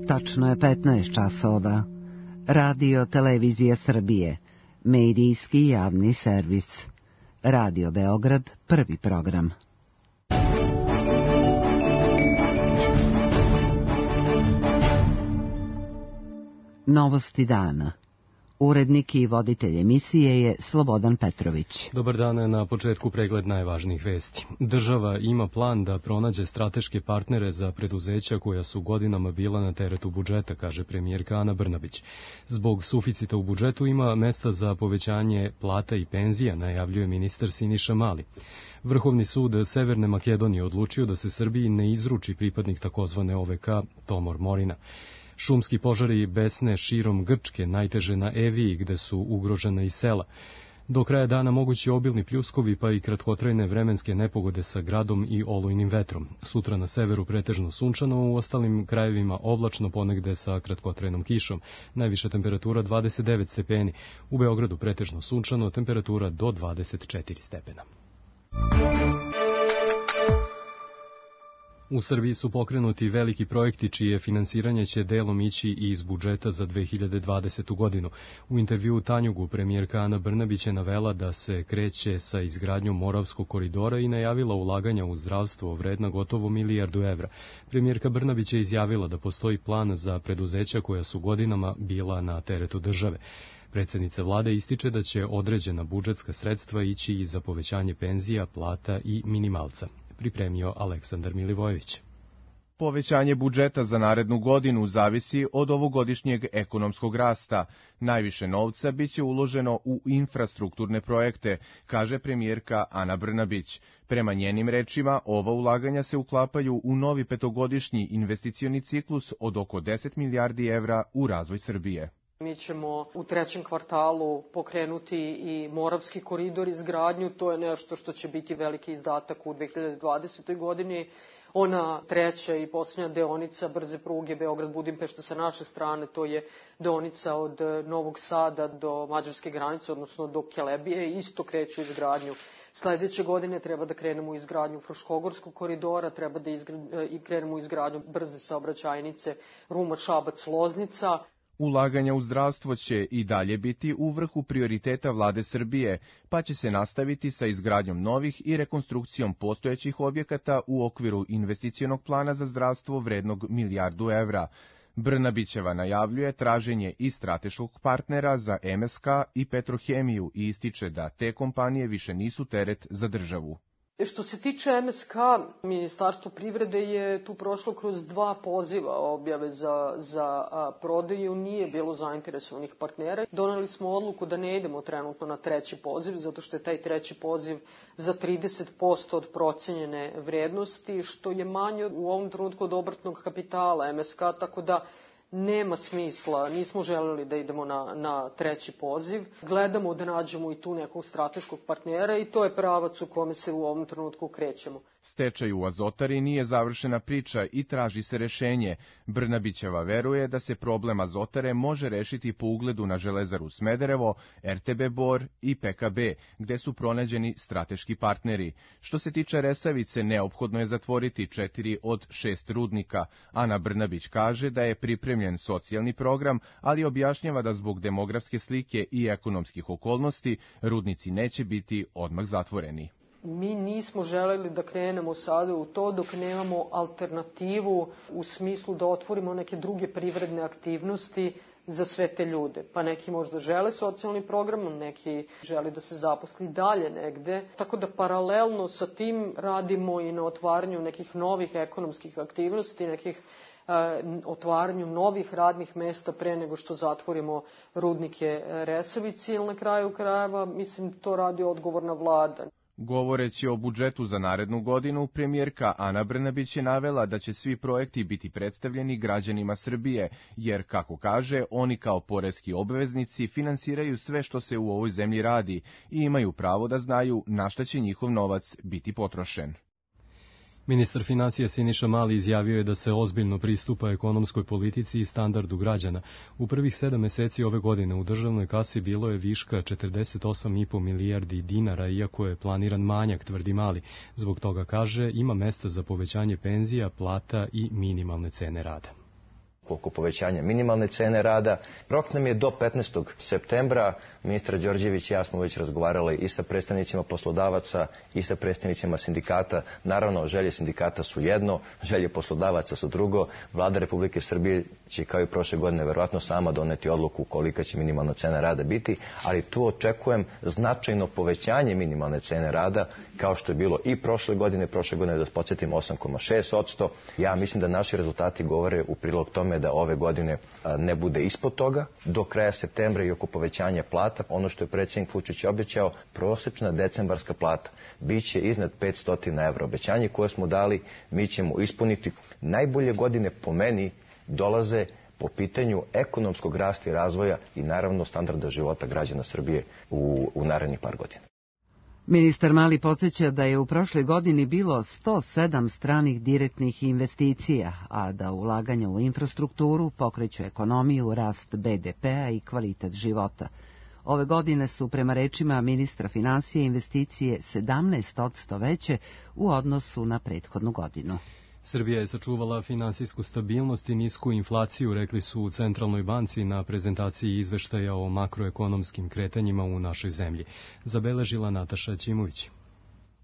Tačno je 15 časova. Radio Televizija Srbije, medijski javni servis. Radio Beograd, prvi program. Novosti dana. Urednik i voditelj emisije je Slobodan Petrović. Dobar dan, na početku pregled najvažnijih vesti. Država ima plan da pronađe strateške partnere za preduzeća koja su godinama bila na teretu budžeta, kaže premijerka Ana Brnabić. Zbog suficita u budžetu ima mesta za povećanje plata i penzija, najavljuje ministar Siniša Mali. Vrhovni sud Severne Makedonije odlučio da se Srbiji ne izruči pripadnik takozvane OVK Tomor Morina. Šumski požari besne širom Grčke, najteže na Eviji, gde su ugrožena i sela. Do kraja dana mogući obilni pljuskovi, pa i kratkotrajne vremenske nepogode sa gradom i olujnim vetrom. Sutra na severu pretežno sunčano, u ostalim krajevima oblačno, ponegde sa kratkotrajnom kišom. Najviša temperatura 29 stepeni. U Beogradu pretežno sunčano, temperatura do 24 stepena. U Srbiji su pokrenuti veliki projekti čije finansiranje će delom ići i iz budžeta za 2020. godinu. U intervjuu Tanjugu premijerka Ana Brnabić je navela da se kreće sa izgradnjom Moravskog koridora i najavila ulaganja u zdravstvo vredna gotovo milijardu evra. Premijerka Brnabić je izjavila da postoji plan za preduzeća koja su godinama bila na teretu države. Predsjednica vlade ističe da će određena budžetska sredstva ići i za povećanje penzija, plata i minimalca. Pripremio Aleksandar Milivojević. Povećanje budžeta za narednu godinu zavisi od ovogodišnjeg ekonomskog rasta. Najviše novca biće uloženo u infrastrukturne projekte, kaže premijerka Ana Brnabić. Prema njenim rečima, ova ulaganja se uklapaju u novi petogodišnji investicioni ciklus od oko 10 milijardi evra u razvoj Srbije. Mi ćemo u trećem kvartalu pokrenuti i Moravski koridor izgradnju, to je nešto što će biti veliki izdatak u 2020. godini. Ona treća i posljednja deonica brze pruge Beograd-Budimpešta sa naše strane, to je deonica od Novog Sada do mađarske granice, odnosno do Kelebije, isto kreću izgradnju. Sledeće godine treba da krenemo u izgradnju Fruškogorskog koridora, treba da krenemo u izgradnju brze saobraćajnice Ruma-Šabac-Loznica. Ulaganja u zdravstvo će i dalje biti u vrhu prioriteta vlade Srbije, pa će se nastaviti sa izgradnjom novih i rekonstrukcijom postojećih objekata u okviru investicionog plana za zdravstvo vrednog milijardu evra. Brnabićeva najavljuje traženje i strateškog partnera za MSK i Petrohemiju i ističe da te kompanije više nisu teret za državu. Što se tiče MSK, Ministarstvo privrede je tu prošlo kroz 2 poziva objave za prodaju, nije bilo zainteresovanih partnera. Doneli smo odluku da ne idemo trenutno na treći poziv, zato što je taj treći poziv za 30% od procenjene vrednosti, što je manje u ovom trenutku od obrtnog kapitala MSK, tako da nema smisla, nismo želeli da idemo na treći poziv. Gledamo da nađemo i tu nekog strateškog partnera i to je pravac u kome se u ovom trenutku krećemo. Stečaj u Azotari nije završena priča i traži se rešenje. Brnabićeva veruje da se problem Azotare može rešiti po ugledu na Železaru Smederevo, RTB Bor i PKB, gde su pronađeni strateški partneri. Što se tiče Resavice, neophodno je zatvoriti 4 od 6 rudnika. Ana Brnabić kaže da je pripremljen socijalni program, ali objašnjava da zbog demografske slike i ekonomskih okolnosti rudnici neće biti odmah zatvoreni. Mi nismo želeli da krenemo sada u to dok nemamo alternativu u smislu da otvorimo neke druge privredne aktivnosti za sve te ljude. Pa neki možda žele socijalni program, neki žele da se zaposli dalje negde. Tako da paralelno sa tim radimo i na otvaranju nekih novih ekonomskih aktivnosti, otvaranju novih radnih mesta pre nego što zatvorimo rudnike Resavici, ili na kraju krajeva, mislim, to radi odgovorna vlada. Govoreći o budžetu za narednu godinu, premijerka Ana Brnabić je navela da će svi projekti biti predstavljeni građanima Srbije, jer, kako kaže, oni kao poreski obveznici finansiraju sve što se u ovoj zemlji radi i imaju pravo da znaju na šta će njihov novac biti potrošen. Ministar finansija Siniša Mali izjavio je da se ozbiljno pristupa ekonomskoj politici i standardu građana. U prvih 7 meseci ove godine u državnoj kasi bilo je viška 48,5 milijardi dinara, iako je planiran manjak, tvrdi Mali. Zbog toga, kaže, ima mesta za povećanje penzija, plata i minimalne cene rada. oko povećanja minimalne cene rada. Rok nam je do 15. septembra. Ministar Đorđević i ja smo već razgovarali i sa predstavnicima poslodavaca i sa predstavnicima sindikata. Naravno, želje sindikata su jedno, želje poslodavaca su drugo. Vlada Republike Srbije će kao i prošle godine verovatno sama doneti odluku kolika će minimalna cena rada biti, ali tu očekujem značajno povećanje minimalne cene rada, kao što je bilo i prošle godine da podsjetim 8,6%. Ja mislim da naši rezultati govore u prilog tome da ove godine ne bude ispod toga. Do kraja septembra i oko povećanja plata, ono što je predsjednik Vučić obećao, prosečna decembarska plata biće iznad 500 evra. Obećanje koje smo dali mi ćemo ispuniti. Najbolje godine po meni dolaze po pitanju ekonomskog rasta i razvoja i naravno standarda života građana Srbije u narednih par godina. Ministar Mali podsjeća da je u prošloj godini bilo 107 stranih direktnih investicija, a da ulaganja u infrastrukturu pokreću ekonomiju, rast BDP-a i kvalitet života. Ove godine su, prema rečima ministra financije, investicije 17% veće u odnosu na prethodnu godinu. Srbija je sačuvala finansijsku stabilnost i nisku inflaciju, rekli su u Centralnoj banci na prezentaciji izveštaja o makroekonomskim kretanjima u našoj zemlji. Zabeležila Nataša Ćimović.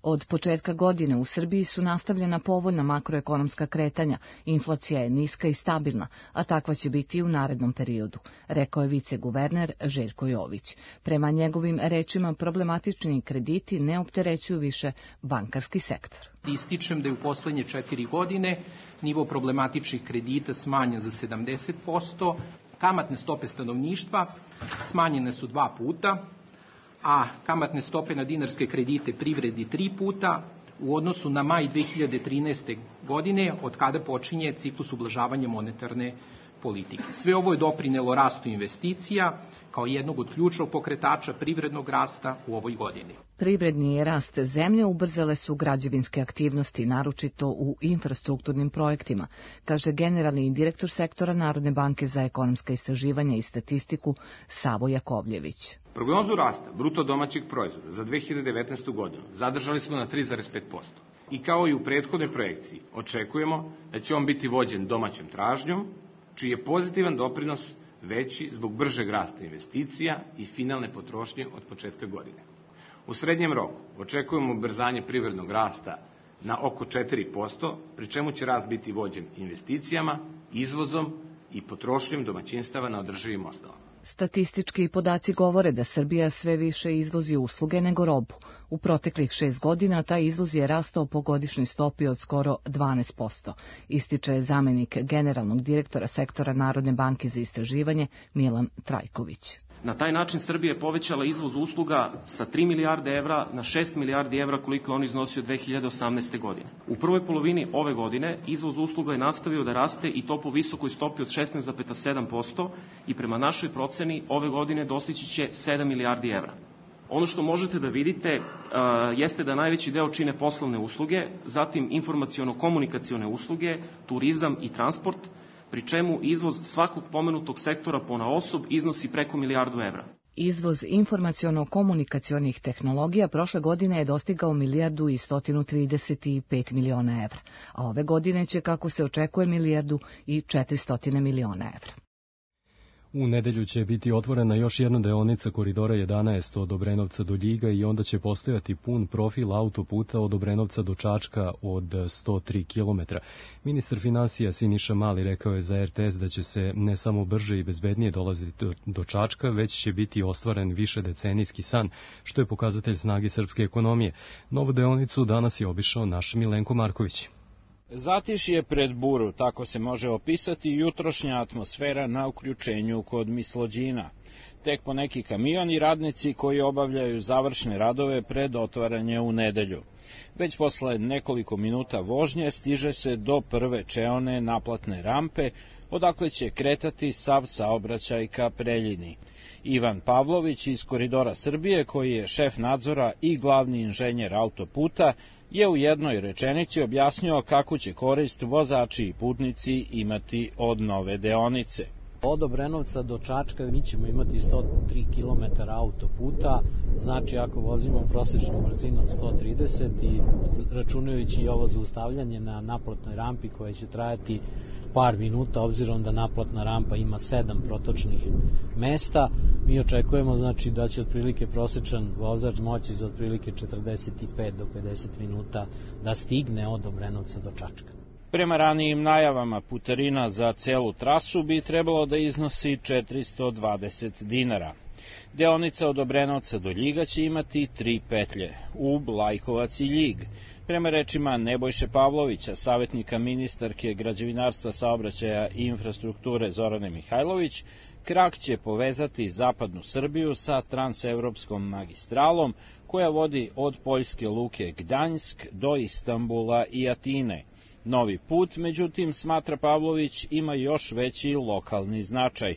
Od početka godine u Srbiji su nastavljena povoljna makroekonomska kretanja, inflacija je niska i stabilna, a takva će biti i u narednom periodu, rekao je viceguverner Željko Jović. Prema njegovim rečima, problematični krediti ne opterećuju više bankarski sektor. Ističem da je u poslednje 4 godine nivo problematičnih kredita smanjen za 70%, kamatne stope stanovništva smanjene su 2 puta, a kamatne stope na dinarske kredite privredi 3 puta u odnosu na maj 2013. godine, od kada počinje ciklus ublažavanja monetarne politike. Sve ovo je doprinelo rastu investicija kao jednog od ključnog pokretača privrednog rasta u ovoj godini. Privredni rast zemlje ubrzale su građevinske aktivnosti, naročito u infrastrukturnim projektima, kaže generalni direktor sektora Narodne banke za ekonomska istraživanja i statistiku Savo Jakovljević. Prognozu rasta bruto domaćeg proizvoda za 2019. godinu zadržali smo na 3,5%. I kao i u prethodnoj projekciji, očekujemo da će on biti vođen domaćom tražnjom, čiji je pozitivan doprinos veći zbog bržeg rasta investicija i finalne potrošnje od početka godine. U srednjem roku očekujemo ubrzanje privrednog rasta na oko 4%, pri čemu će rast biti vođen investicijama, izvozom i potrošnjom domaćinstava na održivim osnovama. Statistički podaci govore da Srbija sve više izvozi usluge nego robu. U proteklih 6 godina taj izvoz je rastao po godišnjoj stopi od skoro 12%, ističe zamenik generalnog direktora sektora Narodne banke za istraživanje Milan Trajković. Na taj način Srbija je povećala izvoz usluga sa 3 milijarde evra na 6 milijardi evra koliko je on iznosio 2018. godine. U prvoj polovini ove godine izvoz usluga je nastavio da raste i to po visokoj stopi od 16,7% i prema našoj proceni ove godine dostići će 7 milijardi evra. Ono što možete da vidite jeste da najveći deo čine poslovne usluge, zatim informaciono-komunikacione usluge, turizam i transport, pri čemu izvoz svakog pomenutog sektora ponaosob iznosi preko milijardu evra. Izvoz informaciono-komunikacionih tehnologija prošle godine je dostigao 1.135 miliona evra, a ove godine će, kako se očekuje, 1.400 miliona evra. U nedelju će biti otvorena još jedna deonica koridora 11 od Obrenovca do Ljiga i onda će postojati pun profil autoputa od Obrenovca do Čačka od 103 km. Ministar finansija Siniša Mali rekao je za RTS da će se ne samo brže i bezbednije dolaziti do Čačka, već će biti ostvaren višedecenijski san, što je pokazatelj snage srpske ekonomije. Novu deonicu danas je obišao naš Milenko Marković. Zatišje pred buru, tako se može opisati jutrošnja atmosfera na uključenju kod Mislođina. Tek po neki kamion i radnici koji obavljaju završne radove pred otvaranje u nedelju. Već posle nekoliko minuta vožnje stiže se do prve čeone naplatne rampe, odakle će kretati sav saobraćaj ka Preljini. Ivan Pavlović iz Koridora Srbije, koji je šef nadzora i glavni inženjer autoputa, je u jednoj rečenici objasnio kako će korist vozači i putnici imati od nove deonice. Od Obrenovca do Čačka mi ćemo imati 103 km autoputa, znači ako vozimo prosječnom brzinom 130 i računajući i ovo zaustavljanje na naplatnoj rampi koje će trajati par minuta, obzirom da naplatna rampa ima 7 protočnih mesta, mi očekujemo znači da će otprilike prosječan vozač moći za otprilike 45 do 50 minuta da stigne od Obrenovca do Čačka. Prema ranijim najavama, putarina za celu trasu bi trebalo da iznosi 420 dinara. Deonica od Obrenovca do Ljiga će imati 3 petlje, Ub, Lajkovac i Ljig. Prema rečima Nebojše Pavlovića, savjetnika ministarke građevinarstva, saobraćaja i infrastrukture Zorane Mihajlović, krak će povezati zapadnu Srbiju sa transevropskom magistralom koja vodi od poljske luke Gdanjsk do Istanbula i Atine. Novi put, međutim, smatra Pavlović, ima još veći lokalni značaj.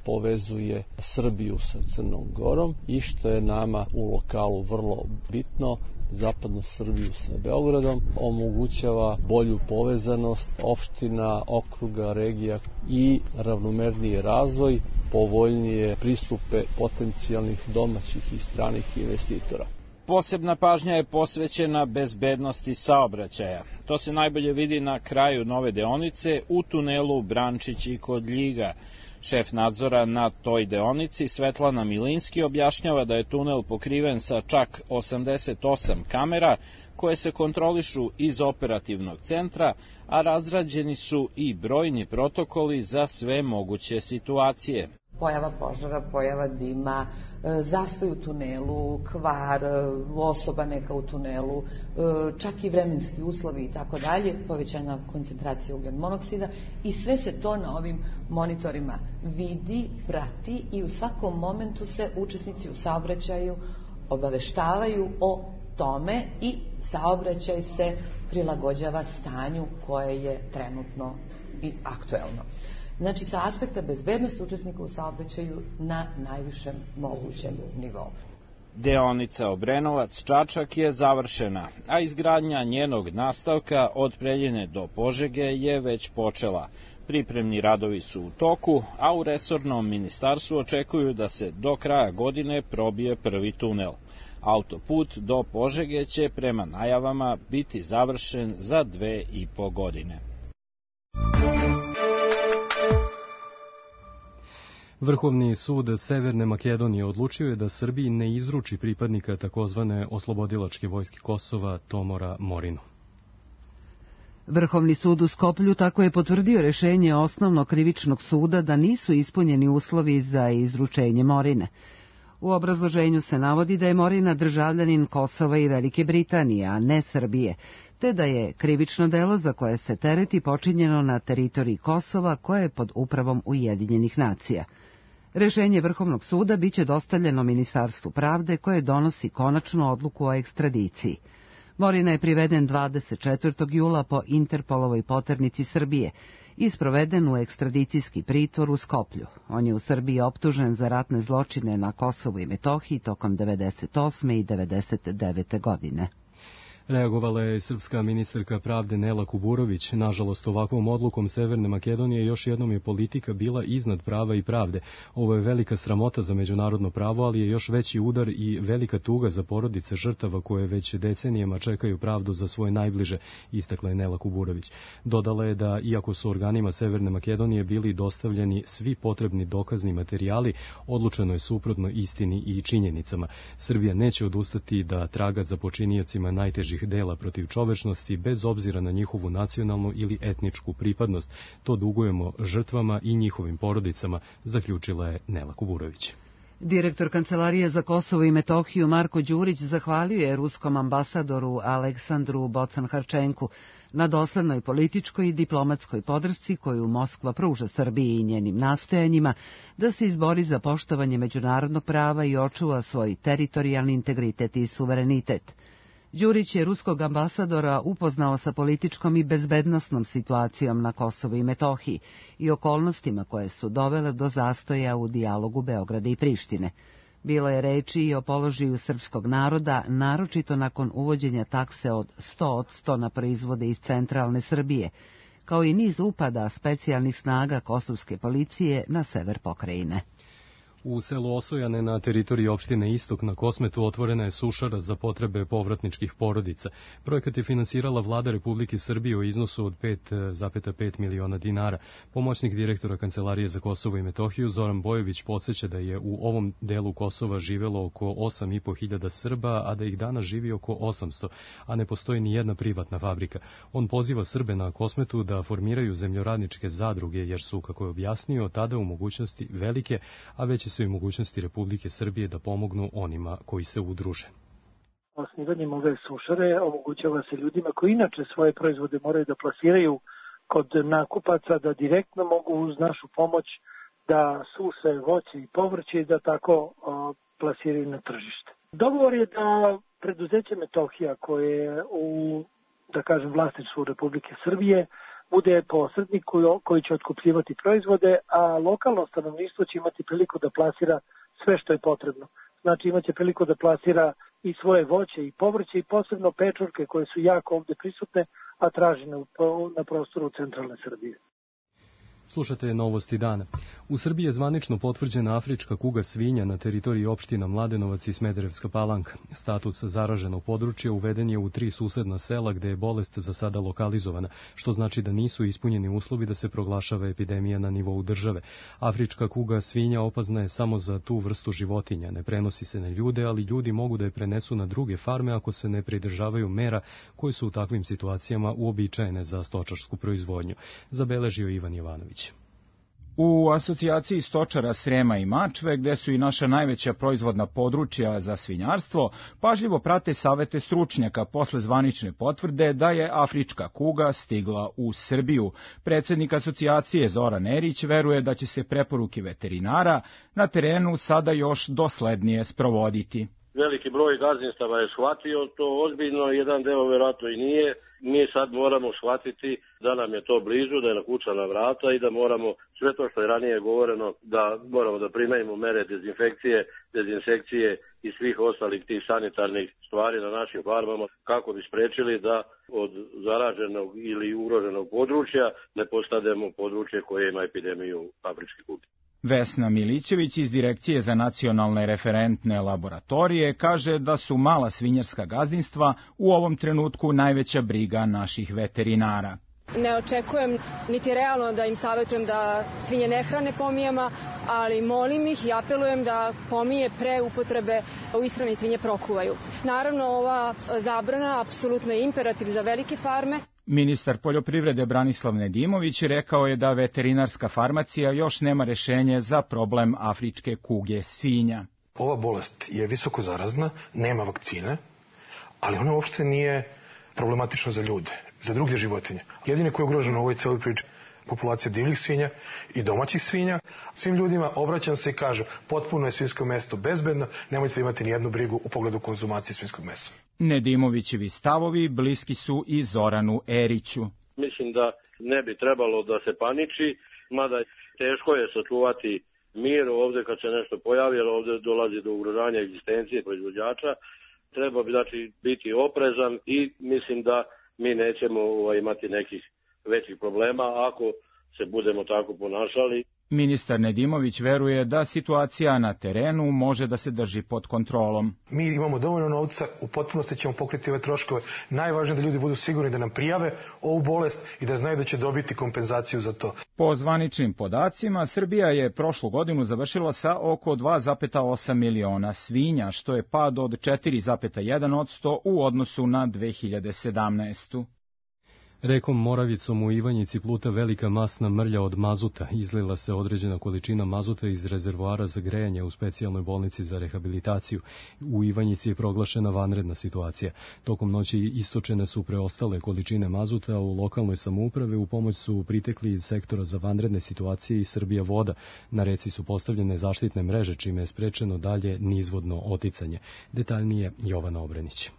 Povezuje Srbiju sa Crnom Gorom i što je nama u lokalu vrlo bitno, zapadnu Srbiju sa Beogradom, omogućava bolju povezanost opština, okruga, regija i ravnomerniji razvoj, povoljnije pristupe potencijalnih domaćih i stranih investitora. Posebna pažnja je posvećena bezbednosti saobraćaja. To se najbolje vidi na kraju nove deonice u tunelu Brančić i kod Ljiga. Šef nadzora na toj deonici, Svetlana Milinski, objašnjava da je tunel pokriven sa čak 88 kamera koje se kontrolišu iz operativnog centra, a razrađeni su i brojni protokoli za sve moguće situacije. Pojava požara, pojava dima, zastoj u tunelu, kvar, osoba neka u tunelu, čak i vremenski uslovi i tako dalje, povećana koncentracija ugljen monoksida i sve se to na ovim monitorima vidi, prati i u svakom momentu se učesnici u saobraćaju obaveštavaju o tome i saobraćaj se prilagođava stanju koje je trenutno i aktuelno. Znači, sa aspekta bezbednosti učesnika u saobraćaju na najvišem mogućem nivou. Deonica Obrenovac-Čačak je završena, a izgradnja njenog nastavka od Preljine do Požege je već počela. Pripremni radovi su u toku, a u resornom ministarstvu očekuju da se do kraja godine probije prvi tunel. Autoput do Požege će prema najavama biti završen za 2,5 godine. Vrhovni sud Severne Makedonije odlučio je da Srbiji ne izruči pripadnika takozvane oslobodilačke vojske Kosova Tomora Morinu. Vrhovni sud u Skoplju tako je potvrdio rešenje osnovnog krivičnog suda da nisu ispunjeni uslovi za izručenje Morine. U obrazloženju se navodi da je Morina državljanin Kosova i Velike Britanije, a ne Srbije, te da je krivično delo za koje se tereti počinjeno na teritoriji Kosova koje je pod upravom Ujedinjenih nacija. Rešenje Vrhovnog suda biće dostavljeno Ministarstvu pravde koje donosi konačnu odluku o ekstradiciji. Morina je priveden 24. jula po Interpolovoj poternici Srbije i sproveden u ekstradicijski pritvor u Skoplju. On je u Srbiji optužen za ratne zločine na Kosovu i Metohiji tokom 98. i 99. godine. Reagovala je srpska ministarka pravde Nela Kuburović. Nažalost, ovakvom odlukom Severne Makedonije još jednom je politika bila iznad prava i pravde. Ovo je velika sramota za međunarodno pravo, ali je još veći udar i velika tuga za porodice žrtava koje već decenijama čekaju pravdu za svoje najbliže, istakla je Nela Kuburović. Dodala je da, iako su organima Severne Makedonije bili dostavljeni svi potrebni dokazni materijali, odlučeno je suprotno istini i činjenicama. Srbija neće odustati da traga za počiniocima najtežih dela protiv čovečnosti bez obzira na njihovu nacionalnu ili etničku pripadnost. To dugujemo žrtvama i njihovim porodicama, zaključila je Nela Kuburović. Direktor Kancelarije za Kosovo i Metohiju Marko Đurić zahvalio je ruskom ambasadoru Aleksandru Bocan-Harčenku na doslednoj političkoj i diplomatskoj podršci koju Moskva pruža Srbiji i njenim nastojanjima da se izbori za poštovanje međunarodnog prava i očuva svoj teritorijalni integritet i suverenitet. Đurić je ruskog ambasadora upoznao sa političkom i bezbednosnom situacijom na Kosovu i Metohiji i okolnostima koje su dovele do zastoja u dijalogu Beograda i Prištine. Bilo je reči i o položaju srpskog naroda, naročito nakon uvođenja takse od 100% na proizvode iz centralne Srbije, kao i niz upada specijalnih snaga kosovske policije na sever pokrajine. U selu Osojane na teritoriji opštine Istok na Kosmetu otvorena je sušara za potrebe povratničkih porodica. Projekat je finansirala vlada Republike Srbije u iznosu od 5,5 miliona dinara. Pomoćnik direktora Kancelarije za Kosovo i Metohiju Zoran Bojović podsjeća da je u ovom delu Kosova živelo oko 8.500 Srba, a da ih danas živi oko 800, a ne postoji ni jedna privatna fabrika. On poziva Srbe na Kosmetu da formiraju zemljoradničke zadruge, jer su, kako je objasnio, tada u mogućnosti velike, a veće su i mogućnosti Republike Srbije da pomognu onima koji se udruže. Osnivanjem ove sušare omogućava se ljudima koji inače svoje proizvode moraju da plasiraju kod nakupaca, da direktno mogu uz našu pomoć da suse voće i povrće i da tako plasiraju na tržište. Dogovor je da preduzeće Metohija, koje je u, da kažem, vlasništvu Republike Srbije, bude posrednik koji će otkupljivati proizvode, a lokalno stanovništvo će imati priliku da plasira sve što je potrebno. Znači imaće priliku da plasira i svoje voće i povrće i posebno pečurke koje su jako ovde prisutne, a tražene na prostoru centralne Srbije. Slušate novosti dana. U Srbiji je zvanično potvrđena afrička kuga svinja na teritoriji opština Mladenovac i Smederevska Palanka. Status zaraženog područja uveden je u 3 susedna sela gde je bolest za sada lokalizovana, što znači da nisu ispunjeni uslovi da se proglašava epidemija na nivou države. Afrička kuga svinja opasna je samo za tu vrstu životinja. Ne prenosi se na ljude, ali ljudi mogu da je prenesu na druge farme ako se ne pridržavaju mera koje su u takvim situacijama uobičajene za stočarsku proizvodnju, zabeležio Ivan Jovanović. U asocijaciji stočara Srema i Mačve, gde su i naša najveća proizvodna područja za svinjarstvo, pažljivo prate savete stručnjaka posle zvanične potvrde da je afrička kuga stigla u Srbiju. Predsednik asocijacije Zoran Erić veruje da će se preporuke veterinara na terenu sada još doslednije sprovoditi. Veliki broj gazdinstava je shvatio to ozbiljno, jedan deo verovatno i nije. Mi sad moramo shvatiti da nam je to blizu, da je nakucana vrata i da moramo sve to što je ranije govoreno, da moramo da primenimo mere dezinsekcije i svih ostalih tih sanitarnih stvari na našim farmama kako bi sprečili da od zaraženog ili ugroženog područja ne postademo područje koje ima epidemiju afričke kuge. Vesna Milićević iz Direkcije za nacionalne referentne laboratorije kaže da su mala svinjarska gazdinstva u ovom trenutku najveća briga naših veterinara. Ne očekujem niti realno da im savjetujem da svinje ne hrane pomijama, ali molim ih i apelujem da pomije pre upotrebe u ishrani svinje prokuvaju. Naravno, ova zabrana apsolutno je imperativ za velike farme. Ministar poljoprivrede Branislav Nedimović rekao je da veterinarska farmacija još nema rešenje za problem afričke kuge svinja. Ova bolest je visoko zarazna, nema vakcine, ali ona uopšte nije problematična za ljude, za druge životinje. Jedine koje je ugroženo u ovoj celoj priči populacija divljih svinja i domaćih svinja. Svim ljudima obraćam se i kažem, potpuno je svinjsko meso bezbedno, nemojte imati nijednu brigu u pogledu konzumacije svinjskog mesa. Nedimovićevi stavovi bliski su i Zoranu Eriću. Mislim da ne bi trebalo da se paniči, mada teško je sačuvati mir ovde kad se nešto pojavi, jer ovde dolazi do ugrožavanja egzistencije proizvođača. Treba bi biti oprezan i mislim da mi nećemo imati nekih većih problema ako se budemo tako ponašali. Ministar Nedimović veruje da situacija na terenu može da se drži pod kontrolom. Mi imamo dovoljno novca, u potpunosti ćemo pokriti ove troškove. Najvažnije da ljudi budu sigurni da nam prijave ovu bolest i da znaju da će dobiti kompenzaciju za to. Po zvaničnim podacima, Srbija je prošlu godinu završila sa oko 2,8 miliona svinja, što je pad od 4,1% u odnosu na 2017. Rekom Moravicom u Ivanjici pluta velika masna mrlja od mazuta. Izlila se određena količina mazuta iz rezervoara za grejanje u specijalnoj bolnici za rehabilitaciju. U Ivanjici je proglašena vanredna situacija. Tokom noći istočene su preostale količine mazuta, u lokalnoj samouprave u pomoć su pritekli iz sektora za vanredne situacije i Srbija voda. Na reci su postavljene zaštitne mreže, čime je sprečeno dalje nizvodno oticanje. Detaljnije Jovana Obrenić.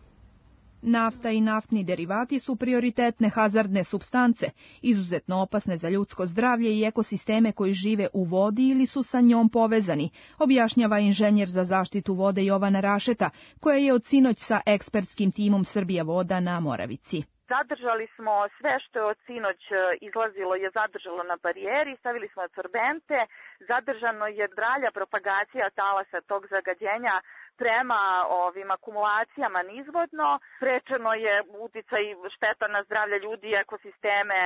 Nafta i naftni derivati su prioritetne hazardne supstance, izuzetno opasne za ljudsko zdravlje i ekosisteme koji žive u vodi ili su sa njom povezani, objašnjava inženjer za zaštitu vode Jovana Rašeta, koja je od sinoć sa ekspertskim timom Srbija voda na Moravici. Zadržali smo sve što je od sinoć izlazilo je zadržalo na barijeri, stavili smo adsorbente, zadržano je dalja propagacija talasa tog zagađenja prema ovim akumulacijama nizvodno, sprečeno je uticaj šteta na zdravlje ljudi i ekosisteme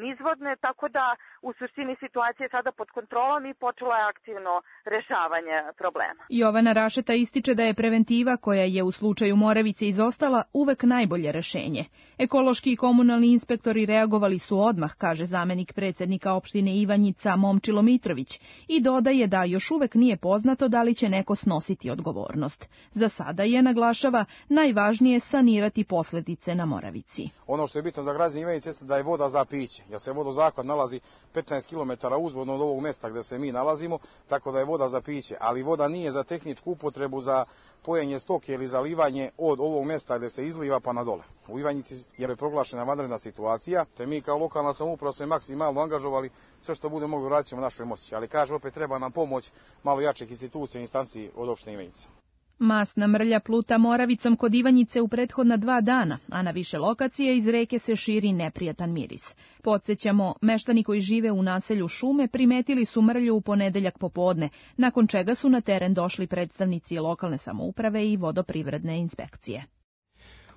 nizvodne, tako da u suštini situacija je sada pod kontrolom i počelo je aktivno rešavanje problema. Jovana Rašeta ističe da je preventiva koja je u slučaju Moravice izostala uvek najbolje rešenje. Ekološki i komunalni inspektori reagovali su odmah, kaže zamenik predsednika opštine Ivanjica Momčilo Mitrović, i dodaje da još uvek nije poznato da li će neko snositi odgovornost. Za sada je, naglašava, najvažnije sanirati posledice na Moravici. Ono što je bitno za građane Ivanjice jeste da je voda za piće, jer se vodozahvat nalazi 15 km uzvodno od ovog mesta gde se mi nalazimo, tako da je voda za piće, ali voda nije za tehničku upotrebu za pojenje stoke ili zalivanje od ovog mesta gde se izliva pa na dole. U Ivanjici je proglašena vanredna situacija, te mi kao lokalna samouprava smo maksimalno angažovali, sve što bude mogli radit ćemo našoj moći, ali kaže opet treba nam pomoć malo jačih institucija i instanci od opštine Ivanjica. Masna mrlja pluta Moravicom kod Ivanjice u prethodna 2 dana, a na više lokacije iz reke se širi neprijatan miris. Podsjećamo, meštani koji žive u naselju Šume primetili su mrlju u ponedeljak popodne, nakon čega su na teren došli predstavnici lokalne samouprave i vodoprivredne inspekcije.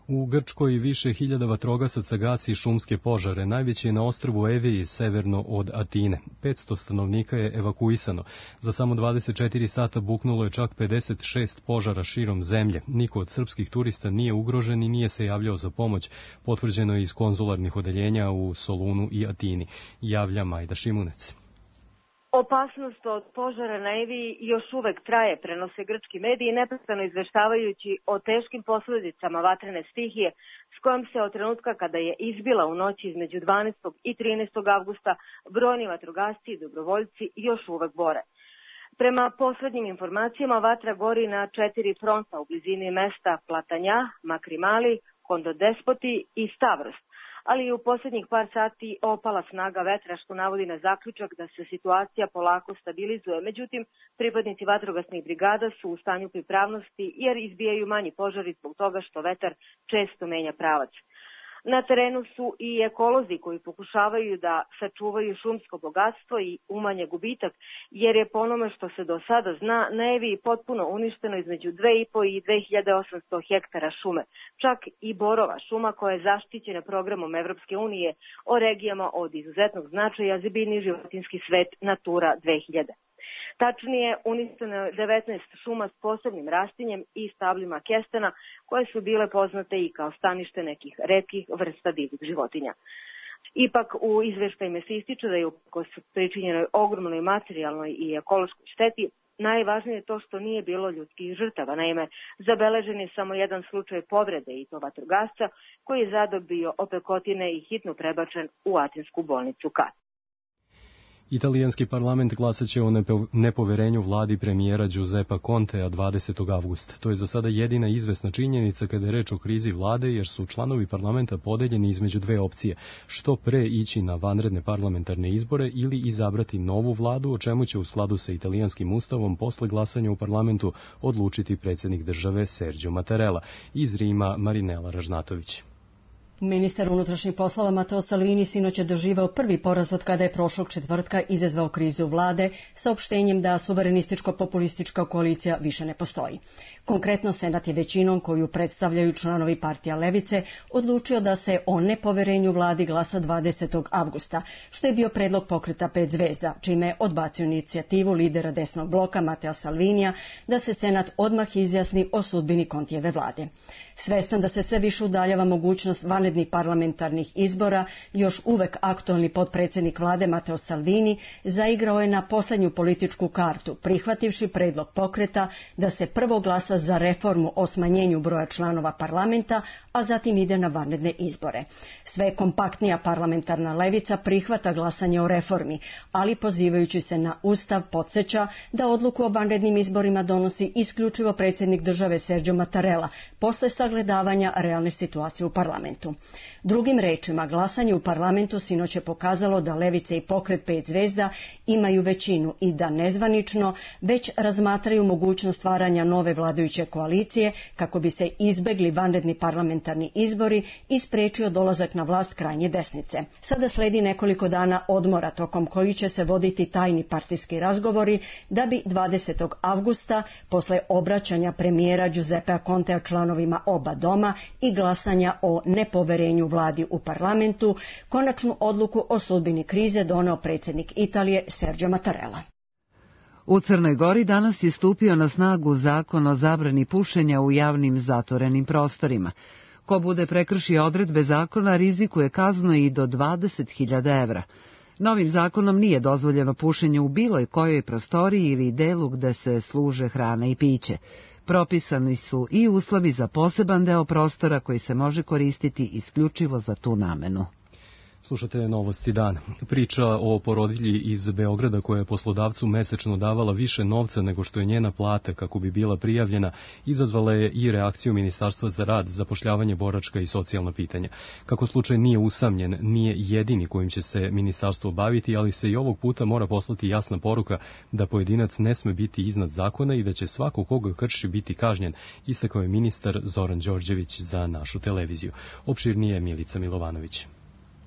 U Grčkoj više hiljada vatrogasaca gasi šumske požare, najveći je na ostrvu Eviji severno od Atine. 500 stanovnika je evakuisano. Za samo 24 sata buknulo je čak 56 požara širom zemlje. Niko od srpskih turista nije ugrožen i nije se javljao za pomoć, potvrđeno je iz konzularnih odeljenja u Solunu i Atini, javlja Majda Šimunec. Opasnost od požara na Eviji još uvek traje, prenose grčki mediji, neprestano izveštavajući o teškim posledicama vatrene stihije s kojom se od trenutka kada je izbila u noći između 12. i 13. avgusta brojni vatrogasci i dobrovoljci još uvek bore. Prema poslednjim informacijama vatra gori na 4 fronta u blizini mesta Platanja, Makrimali, Kondodespoti i Stavros, ali i u posljednjih par sati opala snaga vetra što navodi na zaključak da se situacija polako stabilizuje. Međutim, pripadnici vatrogasnih brigada su u stanju pripravnosti jer izbijaju manji požari zbog toga što vetar često menja pravac. Na terenu su i ekolozi koji pokušavaju da sačuvaju šumsko bogatstvo i umanje gubitak, jer je po onome što se do sada zna, na Eviji potpuno uništeno između 2,5 i 2800 hektara šume. Čak i borova šuma koja je zaštićena programom Evropske unije o regijama od izuzetnog značaja za biljni i životinjski svet Natura 2000. Tačnije, uništeno je 19 šuma s posebnim rastinjem i stabljima kestena koje su bile poznate i kao stanište nekih retkih vrsta divljih životinja. Ipak u izveštajima se ističe da je uprkos pričinjenoj ogromnoj materijalnoj i ekološkoj šteti najvažnije je to što nije bilo ljudskih žrtava. Naime, zabeležen je samo jedan slučaj povrede i to vatrogasca koji je zadobio opekotine i hitno prebačen u atinsku bolnicu Kat. Italijanski parlament glasaće o nepoverenju vladi premijera Giuseppa Contea 20. avgusta. To je za sada jedina izvesna činjenica kada je reč o krizi vlade, jer su članovi parlamenta podeljeni između 2 opcije. Što pre ići na vanredne parlamentarne izbore ili izabrati novu vladu, o čemu će u skladu sa italijanskim ustavom posle glasanja u parlamentu odlučiti predsjednik države Sergio Mattarella. Iz Rima Marinela Ražnatović. Ministar unutrašnjih poslova Matteo Salvini sinoć je doživao prvi poraz od kada je prošlog četvrtka izazvao krizu vlade saopštenjem da suverenističko-populistička koalicija više ne postoji. Konkretno, Senat je većinom koju predstavljaju članovi partija Levice odlučio da se o nepoverenju vladi glasa 20. avgusta, što je bio predlog pokreta 5 zvezda, čime je odbacio inicijativu lidera desnog bloka Matteo Salvinija da se Senat odmah izjasni o sudbini Contijeve vlade. Svestan da se sve više udaljava mogućnost vanrednih parlamentarnih izbora, još uvek aktualni potpredsjednik vlade Matteo Salvini zaigrao je na posljednju političku kartu, prihvativši predlog pokreta da se prvo glasa za reformu o smanjenju broja članova parlamenta, a zatim ide na vanredne izbore. Sve kompaktnija parlamentarna levica prihvata glasanje o reformi, ali pozivajući se na Ustav podsjeća da odluku o vanrednim izborima donosi isključivo predsjednik države Sergio Mattarella, posle sagledavanja realne situacije u parlamentu. Drugim rečima, glasanje u parlamentu sinoć je pokazalo da Levice i pokret 5 zvezda imaju većinu i da nezvanično već razmatraju mogućnost stvaranja nove vladajuće vladajuće koalicije kako bi se izbegli vanredni parlamentarni izbori i sprečio dolazak na vlast krajnje desnice. Sada sledi nekoliko dana odmora tokom kojih će se voditi tajni partijski razgovori da bi 20. avgusta, posle obraćanja premijera Giuseppea Contea članovima oba doma i glasanja o nepoverenju vladi u parlamentu, konačnu odluku o sudbini krize doneo predsjednik Italije Sergio Mattarella. U Crnoj Gori danas je stupio na snagu zakon o zabrani pušenja u javnim zatvorenim prostorima. Ko bude prekršio odredbe zakona rizikuje kaznu i do 20.000 evra. Novim zakonom nije dozvoljeno pušenje u bilo kojoj prostoriji ili delu gde se služe hrana i piće. Propisani su i uslovi za poseban deo prostora koji se može koristiti isključivo za tu namenu. Slušate Novosti dan. Priča o porodilji iz Beograda koja je poslodavcu mesečno davala više novca nego što je njena plata kako bi bila prijavljena, izazvala je i reakciju Ministarstva za rad, zapošljavanje, boračka i socijalna pitanja. Kako slučaj nije usamljen, nije jedini kojim će se ministarstvo baviti, ali se i ovog puta mora poslati jasna poruka da pojedinac ne sme biti iznad zakona i da će svako koga krši biti kažnjen, istakao je ministar Zoran Đorđević za našu televiziju. Opširnije Milica Milovanović.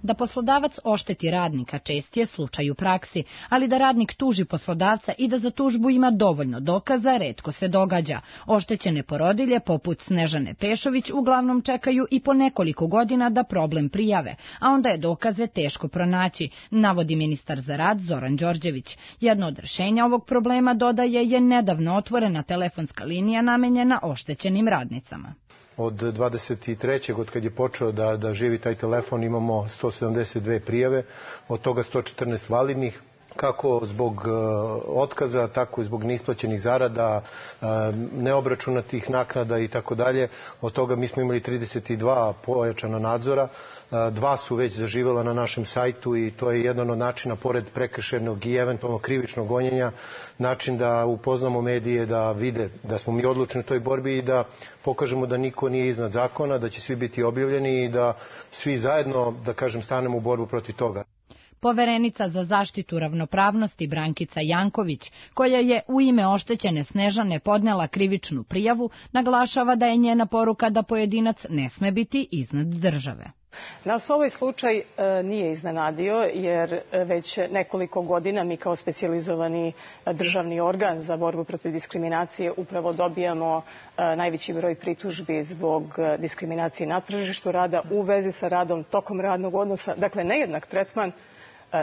Da poslodavac ošteti radnika čest je slučaj u praksi, ali da radnik tuži poslodavca i da za tužbu ima dovoljno dokaza retko se događa. Oštećene porodilje poput Snežane Pešović uglavnom čekaju i po nekoliko godina da problem prijave, a onda je dokaze teško pronaći, navodi ministar za rad Zoran Đorđević. Jedno od rešenja ovog problema, dodaje, je nedavno otvorena telefonska linija namenjena oštećenim radnicama. Od 23. od kad je počeo da živi taj telefon imamo 172 prijave, od toga 114 validnih, kako zbog otkaza, tako i zbog neisplaćenih zarada, neobračunatih naknada i tako dalje. Od toga mi smo imali 32 pojačana nadzora, 2 su već zaživela na našem sajtu i to je jedan od načina, pored prekršajnog i eventualno krivičnog gonjenja, način da upoznamo medije, da vide da smo mi odlučni u toj borbi i da pokažemo da niko nije iznad zakona, da će svi biti objavljeni i da svi zajedno, da kažem, stanemo u borbu protiv toga. Poverenica za zaštitu ravnopravnosti Brankica Janković, koja je u ime oštećene Snežane podnela krivičnu prijavu, naglašava da je njena poruka da pojedinac ne sme biti iznad države. Nas ovaj slučaj nije iznenadio jer već nekoliko godina mi kao specijalizovani državni organ za borbu protiv diskriminacije upravo dobijamo najveći broj pritužbi zbog diskriminacije na tržištu rada u vezi sa radom tokom radnog odnosa. Dakle, nejednak tretman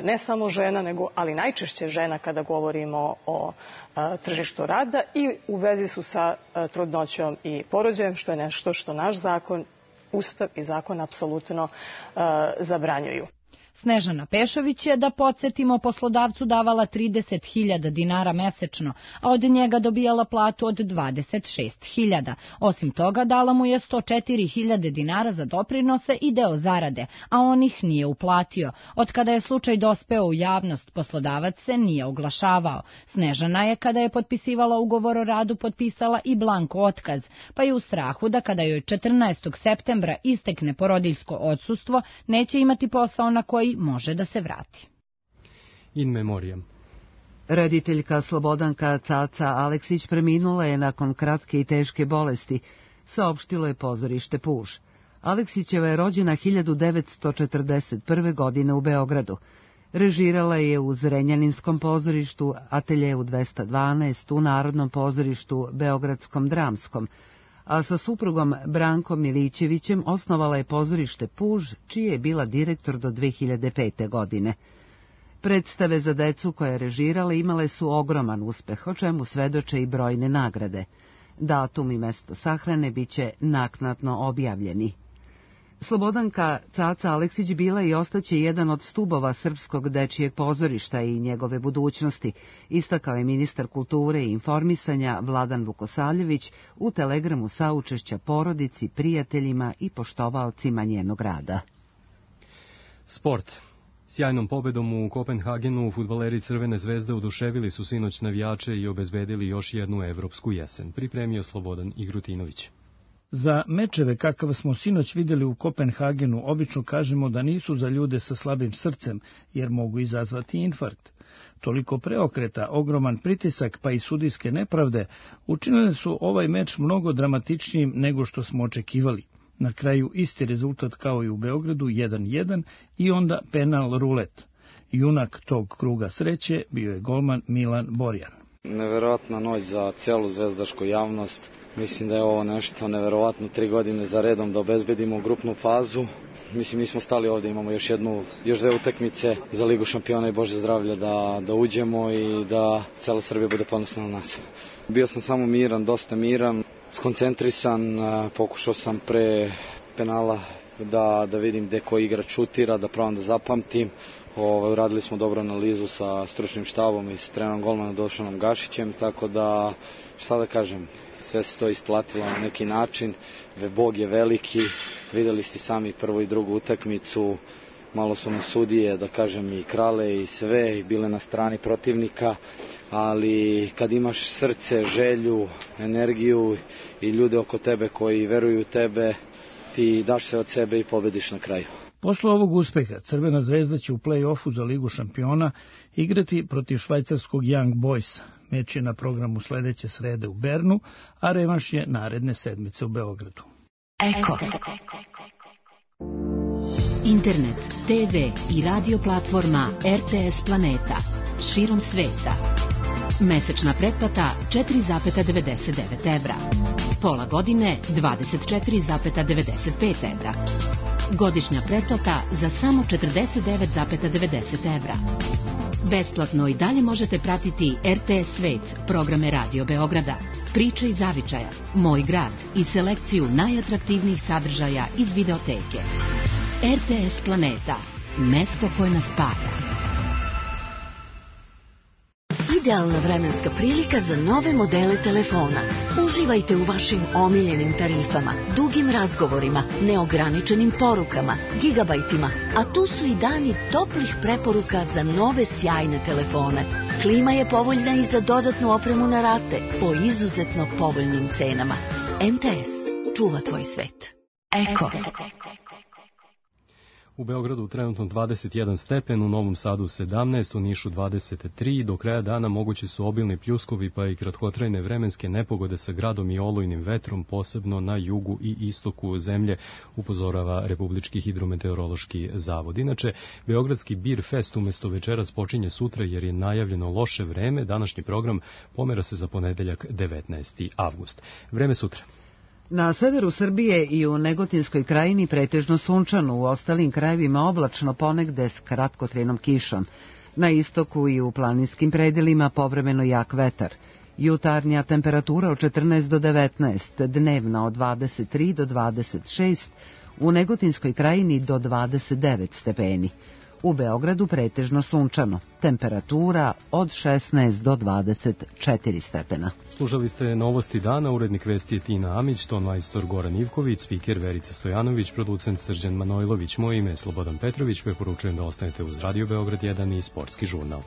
ne samo žena, ali najčešće žena kada govorimo o tržištu rada i u vezi su sa trudnoćom i porođajem, što je nešto što naš zakon, Ustav i zakon apsolutno zabranjuju. Snežana Pešović je, da podsjetimo, poslodavcu davala 30.000 dinara mesečno, a od njega dobijala platu od 26.000. Osim toga, dala mu je 104.000 dinara za doprinose i deo zarade, a on ih nije uplatio. Od kada je slučaj dospeo u javnost, poslodavac se nije oglašavao. Snežana je, kada je potpisivala ugovor o radu, potpisala i blanko otkaz, pa je u strahu da kada joj 14. septembra istekne porodiljsko odsustvo, neće imati posao na koji može da se vrati. In memoriam. Rediteljka Slobodanka Caca Aleksić preminula je nakon kratke i teške bolesti, saopštilo je pozorište Puž. Aleksićeva je rođena 1941. godine u Beogradu. Režirala je u Zrenjaninskom pozorištu, Ateljeu 212, u Narodnom pozorištu Beogradskom dramskom, a sa suprugom Brankom Milićevićem osnovala je pozorište Puž, čiji je bila direktor do 2005. godine. Predstave za decu koje je režirala imale su ogroman uspeh, o čemu svedoče i brojne nagrade. Datum i mesto sahrane biće naknadno objavljeni. Slobodanka Caca Aleksić bila i ostaće jedan od stubova srpskog dečijeg pozorišta i njegove budućnosti, istakao je ministar kulture i informisanja Vladan Vukosavljević u telegramu saučešća porodici, prijateljima i poštovaocima njenog rada. Sport. Sjajnom pobedom u Kopenhagenu fudbaleri Crvene zvezde oduševili su sinoć navijače i obezbedili još jednu evropsku jesen, pripremio Slobodan Igrutinović. Za mečeve kakav smo sinoć vidjeli u Kopenhagenu obično kažemo da nisu za ljude sa slabim srcem, jer mogu izazvati infarkt. Toliko preokreta, ogroman pritisak pa i sudijske nepravde učinili su ovaj meč mnogo dramatičnijim nego što smo očekivali. Na kraju isti rezultat kao i u Beogradu 1-1 i onda penal rulet. Junak tog kruga sreće bio je golman Milan Borjan. Neverovatna noć za celu zvezdašku javnost. Mislim da je ovo nešto neverovatno, 3 godine za redom da obezbedimo grupnu fazu. Mislim, mi smo stali ovde, imamo još 2 utakmice za Ligu šampiona i Bože zdravlje da uđemo i da cela Srbija bude ponosna na nas. Bio sam samo miran, dosta miran, skoncentrisan, pokušao sam pre penala da vidim gde koji igrač šutira, da probam da zapamtim. Uradili smo dobru analizu sa stručnim štabom i sa trenerom golmana Dušanom Gašićem, tako da, šta da kažem, sve se to isplatilo na neki način. Bog je veliki, videli ste sami prvu i drugu utakmicu, malo su nas sudije, da kažem, i krale i sve, i bile na strani protivnika, ali kad imaš srce, želju, energiju i ljude oko tebe koji veruju u tebe, ti daš se od sebe i pobediš na kraju. Posle ovog uspeha Crvena zvezda će u play-offu za Ligu šampiona igrati protiv švajcarskog Young Boysa. Meč je na programu sledeće srede u Bernu, a revanš je naredne sedmice u Beogradu. Eko. Internet, TV i radio platforma RTS Planeta. Širom sveta. Mesečna pretplata 4,99 evra. Pola godine 24,95 evra. Godišnja pretplata za samo 49,90 evra. Besplatno i dalje možete pratiti RTS Svet, programe Radio Beograda, Priče iz zavičaja, Moj grad i selekciju najatraktivnijih sadržaja iz videoteke. RTS Planeta, mesto koje nas spaja. Idealna vremenska prilika za nove modele telefona. Uživajte u vašim omiljenim tarifama, dugim razgovorima, neograničenim porukama, gigabajtima, a tu su i dani toplih preporuka za nove sjajne telefone. Klima je povoljna i za dodatnu opremu na rate po izuzetno povoljnim cenama. MTS čuva tvoj svet. Eko. U Beogradu trenutno 21 stepen, u Novom Sadu 17, u Nišu 23, do kraja dana mogući su obilni pljuskovi pa i kratkotrajne vremenske nepogode sa gradom i olujnim vetrom, posebno na jugu i istoku zemlje, upozorava Republički hidrometeorološki zavod. Inače, Beogradski Bir Fest umesto večeras počinje sutra jer je najavljeno loše vreme. Današnji program pomera se za ponedeljak 19. avgust. Vreme sutra. Na severu Srbije i u Negotinskoj krajini pretežno sunčano, u ostalim krajevima oblačno, ponegde s kratkotrajnom kišom. Na istoku i u planinskim predelima povremeno jak vetar. Jutarnja temperatura od 14 do 19, dnevna od 23 do 26, u Negotinskoj krajini do 29 stepeni. U Beogradu pretežno sunčano, temperatura od 16 do 24 stepena. Slušali ste novosti dana, urednik vesti je Tina Amić, ton majstor Goran Ivković, spiker Verica Stojanović, producent Srđan Manojlović, moje ime je Slobodan Petrović, preporučujem da ostanete uz Radio Beograd 1 i Sportski žurnal.